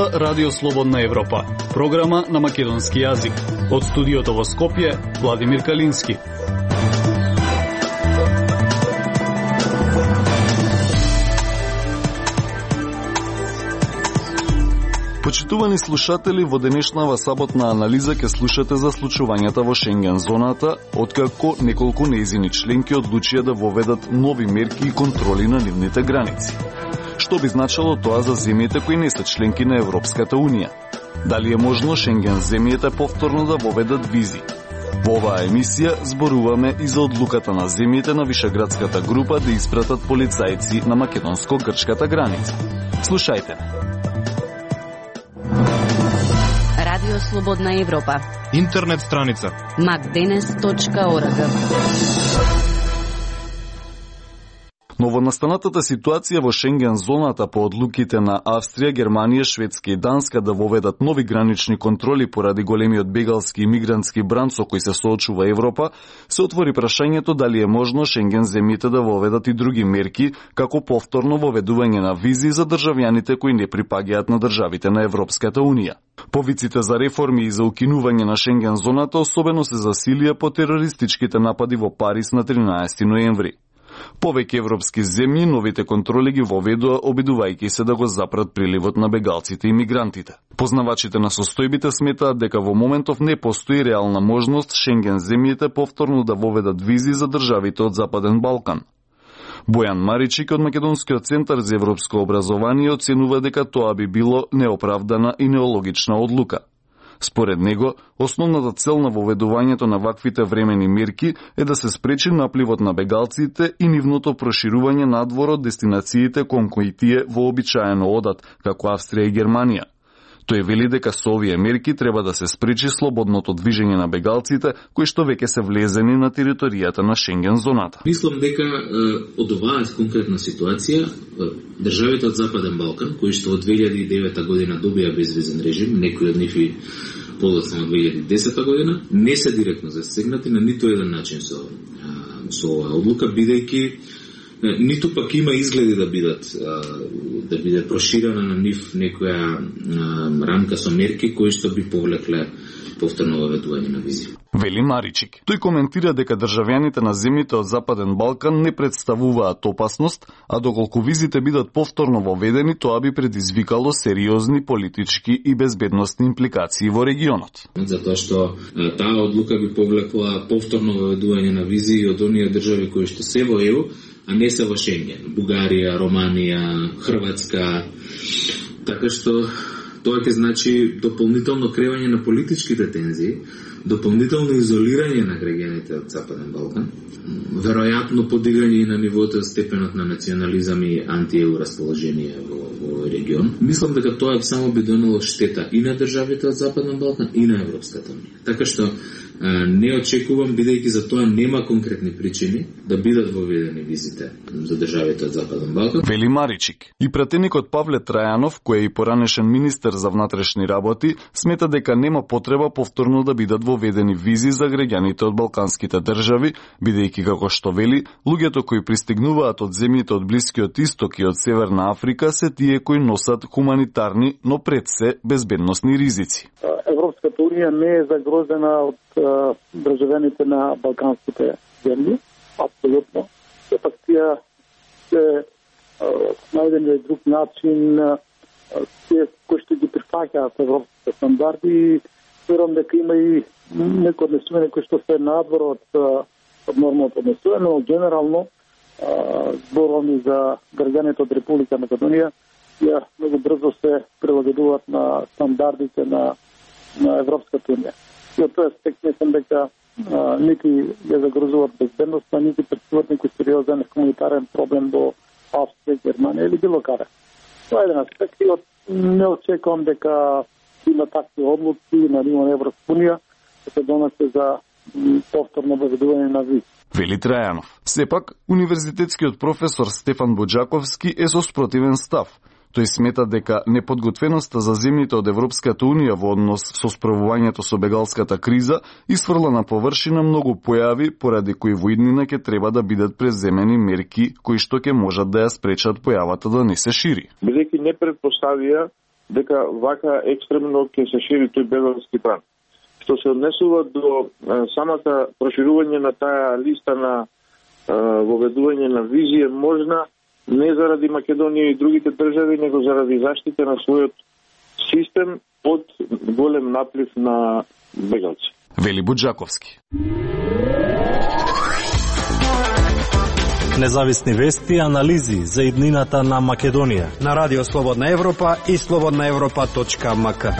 слуша Радио Слободна Европа, програма на македонски јазик. Од студиото во Скопје, Владимир Калински. Почитувани слушатели, во денешнава саботна анализа ќе слушате за случувањата во Шенген зоната, откако неколку нејзини членки одлучија да воведат нови мерки и контроли на нивните граници. Што би значило тоа за земјите кои не се членки на Европската Унија? Дали е можно Шенген земјите повторно да воведат визи? Во оваа емисија зборуваме и за одлуката на земјите на Вишеградската група да испратат полицајци на македонско-грчката граница. Слушајте. Радио Слободна Европа. Интернет страница macdenes.org. Новонастанатата ситуација во Шенген зоната по одлуките на Австрија, Германија, Шведска и Данска да воведат нови гранични контроли поради големиот бегалски и мигрантски бран со кој се соочува Европа, се отвори прашањето дали е можно Шенген земјите да воведат и други мерки, како повторно воведување на визи за државјаните кои не припаѓаат на државите на Европската Унија. Повиците за реформи и за укинување на Шенген зоната особено се засилија по терористичките напади во Париз на 13 ноември. Повеќе европски земји новите контроли ги воведува обидувајќи се да го запрат приливот на бегалците и мигрантите. Познавачите на состојбите сметаат дека во моментов не постои реална можност Шенген земјите повторно да воведат визи за државите од Западен Балкан. Бојан Маричик од Македонскиот центар за европско образование оценува дека тоа би било неоправдана и неологична одлука. Според него, основната цел на воведувањето на ваквите времени мерки е да се спречи напливот на бегалците и нивното проширување надвор од дестинациите кон кои тие вообичаено одат, како Австрија и Германија. Тој вели дека со овие мерки треба да се спречи слободното движење на бегалците, кои што веќе се влезени на територијата на Шенген зоната. Мислам дека од оваа конкретна ситуација државите од Западен Балкан, кои што од 2009 година добија безвизен режим, некои од нив и подоцна од 2010 година, не се директно засегнати на ниту еден начин со оваа одлука, бидејќи ниту пак има изгледи да биде проширена на нив некоја рамка со мерки кои што би повлекле повторно воведување на визи. Вели Маричик. Тој коментира дека државјаните на земјите од Западен Балкан не представуваат опасност, а доколку визите бидат повторно воведени, тоа би предизвикало сериозни политички и безбедносни импликации во регионот. Затоа што таа одлука би повлекла повторно воведување на визи и од оние држави кои што се во ЕУ, а не се во Шенген. Бугарија, Романија, Хрватска. Така што тоа ќе значи дополнително кревање на политичките тензии, дополнително изолирање на граѓаните од Западен Балкан, веројатно подигање и на нивото степенот на национализам и анти-ЕУ расположение во регион. Мислам дека тоа само би донело штета и на државите од Западен Балкан и на Европската Унија. Така што не очекувам, бидејќи за тоа нема конкретни причини да бидат воведени визите за државите од Западен Балкан. Вели Маричик. И пратеникот Павле Трајанов, кој е и поранешен министер за внатрешни работи, смета дека нема потреба повторно да бидат воведени визи за граѓаните од балканските држави, бидејќи како што вели, луѓето кои пристигнуваат од земјите од Блискиот Исток и од Северна Африка се тие кои носат хуманитарни, но пред се безбедносни ризици. Европската Унија не е загрозена од државјаните на балканските земји, апсолутно. Сепак тие се најдени друг начин, тие кои што ги прифаќаат европските стандарди и верувам дека има и некои однесувања кои што се надвор од нормалното однесување, но генерално зборувам и за граѓаните од Република Македонија, тие многу брзо се прилагодуваат на стандардите на Европската Унија. И од тој аспект мислам дека нити ја загрозуваат безбедноста, нити претставуваат некој сериозен хуманитарен проблем во Австрија, Германија или било каде. Тоа е еден аспект и не очекувам дека има такви одлуки на ниво на Европска Унија да се донесе за повторно воведување на визи. Вели Трајанов. Сепак, универзитетскиот професор Стефан Боџаковски е со спротивен став. Тој смета дека неподготвеноста за земјите од Европската Унија во однос со справувањето со бегалската криза исфрла на површина многу појави поради кои во иднина ќе треба да бидат преземени мерки кои што ќе можат да ја спречат појавата да не се шири. Бидејќи не претпоставија дека вака екстремно ќе се шири тој бегалски бран. Што се однесува до самата проширување на таа листа на воведување на визи е можна не заради Македонија и другите држави, него заради заштита на својот систем од голем наплив на бегалци. Вели Буџаковски. Независни вести и анализи за иднината на Македонија на Радио Слободна Европа и slobodnaevropa.mk.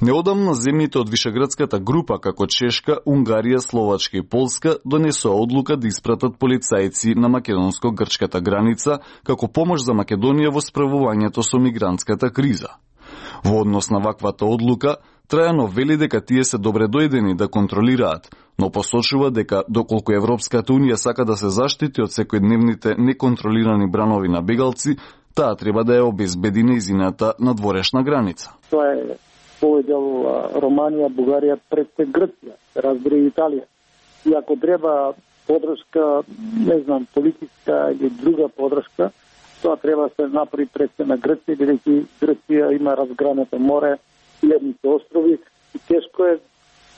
Неодамна земјите од Вишеградската група, како Чешка, Унгарија, Словачка и Полска, донесоа одлука да испратат полицајци на македонско-грчката граница како помош за Македонија во справувањето со мигрантската криза. Во однос на ваквата одлука, Трајанов вели дека тие се добре дојдени да контролираат, но посочува дека доколку Европската Унија сака да се заштити од секојдневните неконтролирани бранови на бегалци, таа треба да ја обезбеди нејзината надворешна граница. Тоа е овој дел Романија, Бугарија, пред Грција, разбира и Италија. И ако треба подршка, не знам, политичка или друга подршка, тоа треба да се направи пред на Грција, бидејќи Грција има разгранато море, илјадните острови и тешко е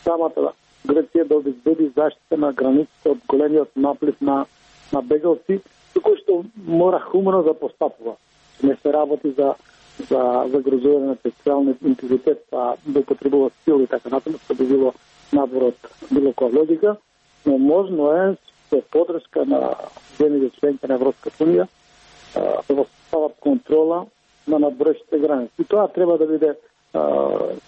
самата Грција да обезбеди заштита на границата од големиот наплив на бегалци, кој што мора хумано да постапува. Не се работи за загрозување на територијалниот интегритет, да употребува сила и така натаму, што би било надвор од било која логика, но можно е со подршка на земјите членки на Европската Унија да постават контрола на надворешните граници. И тоа треба да биде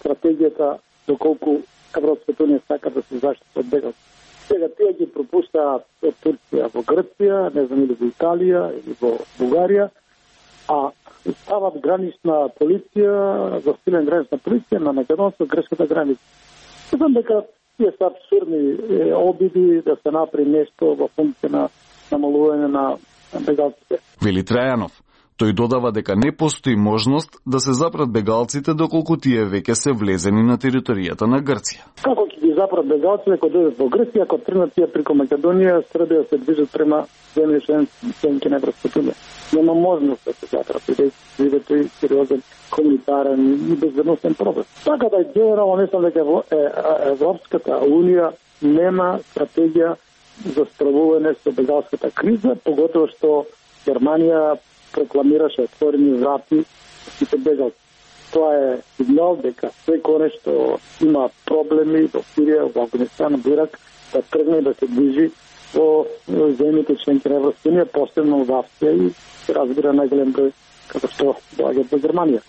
стратегијата доколку Европската Унија сака да се заштити од бегалци. Сега тие ги пропуштаат од Турција во Грција, не знам, или во Италија, или во Бугарија, а стават гранична полиција, засилен гранична полиција на македонско-грчката граница. Знам дека тие се абсурдни обиди да се направи нешто во функција на намалување на бегалците. Вели Трајанов. Тој додава дека не постои можност да се запрат бегалците доколку тие веќе се влезени на територијата на Грција. Како ќе ги запрат бегалците ако дојдат во Грција, ако тргнат тие преку Македонија, Србија се движат према земји членки на Европската Унија? Нема можност да се запрат, бидејќи тој сериозен хуманитарен и безбедносен проблем. Така да генерално мислам дека Европската Унија нема стратегија за справување со бегалската криза, поготово што Германија прокламираше отворени врати сите бегалци. Тоа е сигнал дека секој што има проблеми во Сирија, во Афганистан, во Ирак, да тргне да се движи во земјите членки на Европската Унија, посебно во Австрија и разбира најголем број како што доаѓаат во Германија.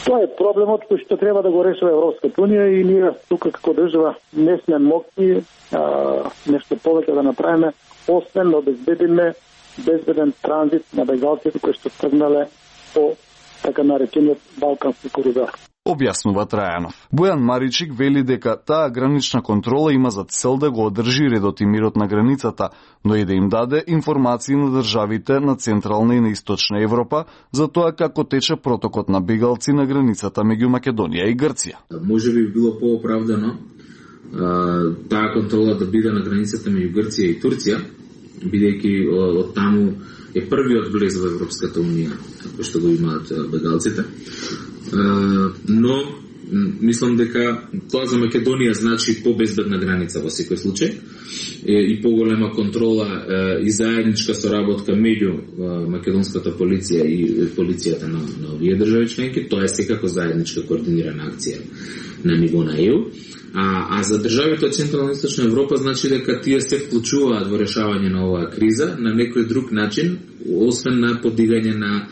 Тоа е проблемот кој што треба да го решава Европската Унија и ние тука како држава не сме моќни нешто повеќе да направиме, освен да обезбедиме безбеден транзит на бегалците кои што тргнале по така наречениот Балкански коридор. Објаснува Трајанов. Бојан Маричик вели дека таа гранична контрола има за цел да го одржи редот и мирот на границата, но и да им даде информации на државите на Централна и на Источна Европа за тоа како тече протокот на бегалци на границата меѓу Македонија и Грција. Може би било пооправдано таа контрола да биде на границата меѓу Грција и Турција, бидејќи од таму е првиот влез во Европската Унија, кој што го имаат бегалците. Но мислам дека тоа за Македонија значи побезбедна граница во секој случај и поголема контрола и заедничка соработка меѓу македонската полиција и полицијата на овие држави членки. Тоа е секако заедничка координирана акција на ниво на ЕУ. А за државите од Централна и Источна Европа значи дека тие се вклучуваат во решавање на оваа криза на некој друг начин, освен на подигање на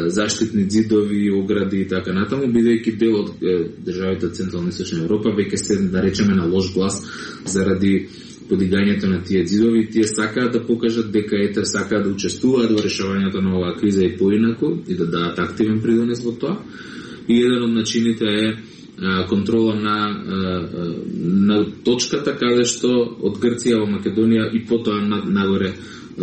заштитни ѕидови, огради и така натаму, бидејќи дел од државите од Централна и Источна Европа веќе се, да речеме, на лош глас заради подигањето на тие ѕидови. Тие сакаат да покажат дека сакаат да учествуваат во решавањето на оваа криза и поинаку и да дадат активен придонес во тоа. И еден од начините е контрола на точката каде што од Грција во Македонија и потоа нагоре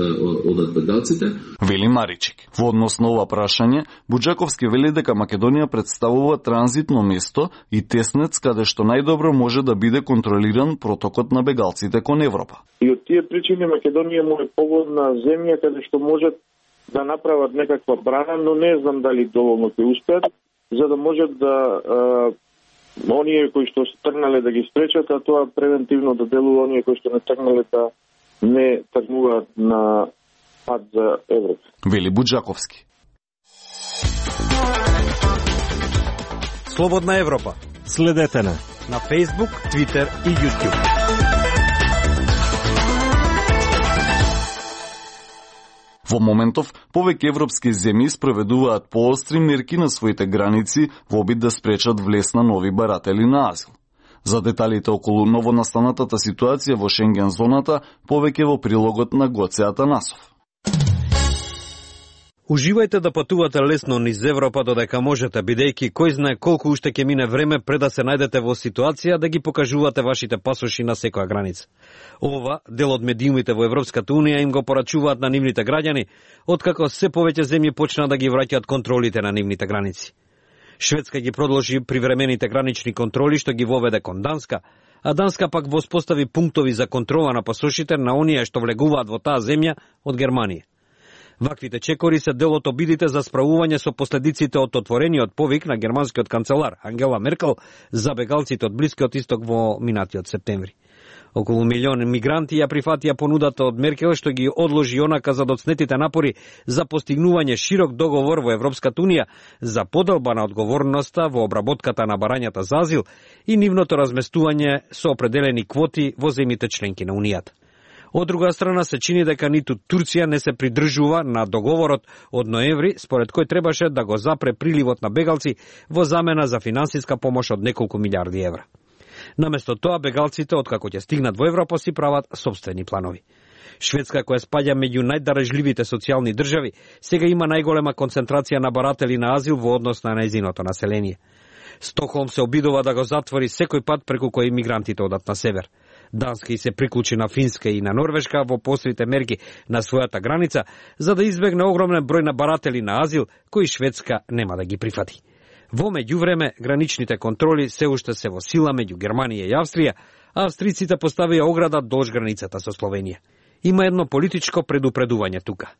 одат бегалците. Вели Маричик. Во однос на ова прашање, Буџаковски вели дека Македонија представува транзитно место и теснец каде што најдобро може да биде контролиран протокот на бегалците кон Европа. И од тие причини Македонија му е погодна земја каде што можат да направат некаква брана, но не знам дали доволно ќе успеат, за да можат да оние кои што се тргнале да ги спречат, а тоа превентивно да делува оние кои што не тргнале да не тргнуваат на пат за Европа. Вели Буџаковски. Слободна Европа. Следете на Facebook, Twitter и YouTube. Во моментов, повеќе европски земји спроведуваат поостри мерки на своите граници во обид да спречат влез на нови баратели на азил. За деталите околу новонастанатата ситуација во Шенген зоната, повеќе во прилогот на Гоце Атанасов. Уживајте да патувате лесно низ Европа додека можете, бидејќи кој знае колку уште ќе мине време пред да се најдете во ситуација да ги покажувате вашите пасоши на секоја граница. Ова, дел од медиумите во Европската Унија им го порачуваат на нивните граѓани, откако се повеќе земји почна да ги враќаат контролите на нивните граници. Шведска ги продолжи привремените гранични контроли што ги воведе кон Данска, а Данска пак воспостави пунктови за контрола на пасошите на оние што влегуваат во таа земја од Германија. Ваквите чекори се дел од обидите за справување со последиците од отворениот повик на германскиот канцелар Ангела Меркел за бегалците од Блискиот Исток во минатиот септември. Околу милион мигранти ја прифатија понудата од Меркел што ги одложи онака за доцнетите напори за постигнување широк договор во Европската Унија за поделба на одговорноста во обработката на барањата за азил и нивното разместување со определени квоти во земјите членки на Унијата. Од друга страна се чини дека ниту Турција не се придржува на договорот од ноември, според кој требаше да го запре приливот на бегалци во замена за финансиска помош од неколку милиарди евра. Наместо тоа, бегалците, откако ќе стигнат во Европа, си прават собствени планови. Шведска, која спаѓа меѓу најдарежливите социјални држави, сега има најголема концентрација на баратели на азил во однос на нејзиното население. Стокхолм се обидува да го затвори секој пат преку кој мигрантите одат на север. Данска и се приклучи на Финска и на Норвешка во пострите мерки на својата граница, за да избегне огромен број на баратели на азил, кои Шведска нема да ги прифати. Во меѓувреме, граничните контроли се уште се во сила меѓу Германија и Австрија, а австриците поставија ограда долж границата со Словенија. Има едно политичко предупредување тука.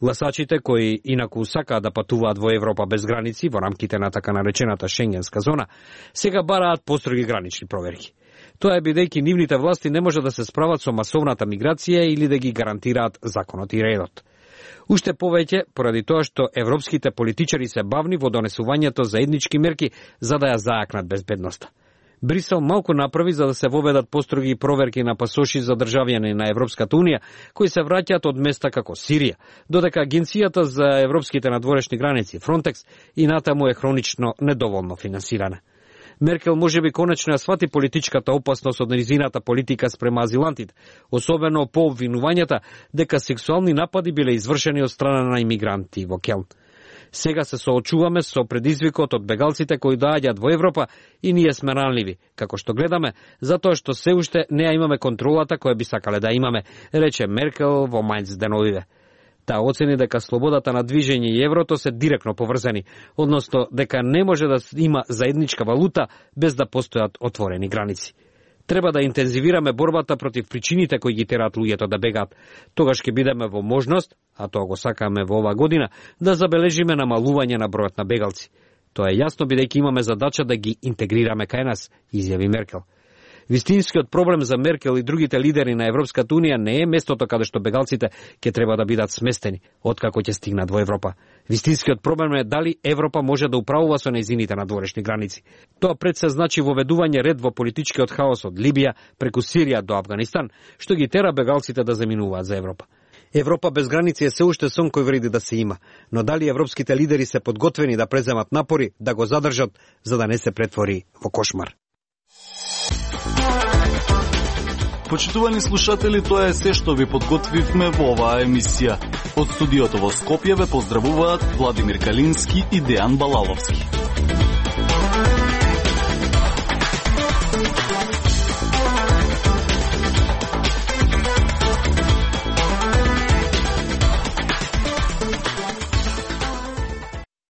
Гласачите кои инаку сакаат да патуваат во Европа без граници во рамките на така наречената Шенгенска зона, сега бараат построги гранични проверки. Тоа е бидејќи нивните власти не може да се справат со масовната миграција или да ги гарантираат законот и редот. Уште повеќе поради тоа што европските политичари се бавни во донесувањето заеднички мерки за да ја заакнат безбедноста. Брисел малку направи за да се воведат построги проверки на пасоши за државјани на Европската Унија кои се враќаат од места како Сирија, додека Агенцијата за европските надворешни граници Фронтекс и натаму е хронично недоволно финансирана. Меркел можеби конечно ја свати политичката опасност од незината политика спрема азилантите, особено по обвинувањата дека сексуални напади биле извршени од страна на имигранти во Келн. Сега се соочуваме со предизвикот од бегалците кои доаѓаат во Европа и ние сме ранливи, како што гледаме, затоа што се уште не ја имаме контролата која би сакале да имаме, рече Меркел во Мајнц деновиве. Таа оцени дека слободата на движење и еврото се директно поврзани, односно дека не може да има заедничка валута без да постојат отворени граници. Треба да интензивираме борбата против причините кои ги тераат луѓето да бегаат. Тогаш ќе бидеме во можност, а тоа го сакаме во оваа година, да забележиме намалување на бројот на бегалци. Тоа е јасно бидејќи имаме задача да ги интегрираме кај нас, изјави Меркел. Вистинскиот проблем за Меркел и другите лидери на Европската Унија не е местото каде што бегалците ќе треба да бидат сместени, откако ќе стигнат во Европа. Вистинскиот проблем е дали Европа може да управува со нејзините надворешни граници. Тоа пред се значи воведување ред во политичкиот хаос од Либија преку Сирија до Авганистан, што ги тера бегалците да заминуваат за Европа. Европа без граници е се уште сон кој вреди да се има, но дали европските лидери се подготвени да преземат напори да го задржат за да не се претвори во кошмар. Почитувани слушатели, тоа е се што ви подготвивме во оваа емисија. Од студиото во Скопје ве поздравуваат Владимир Калински и Дејан Балаловски.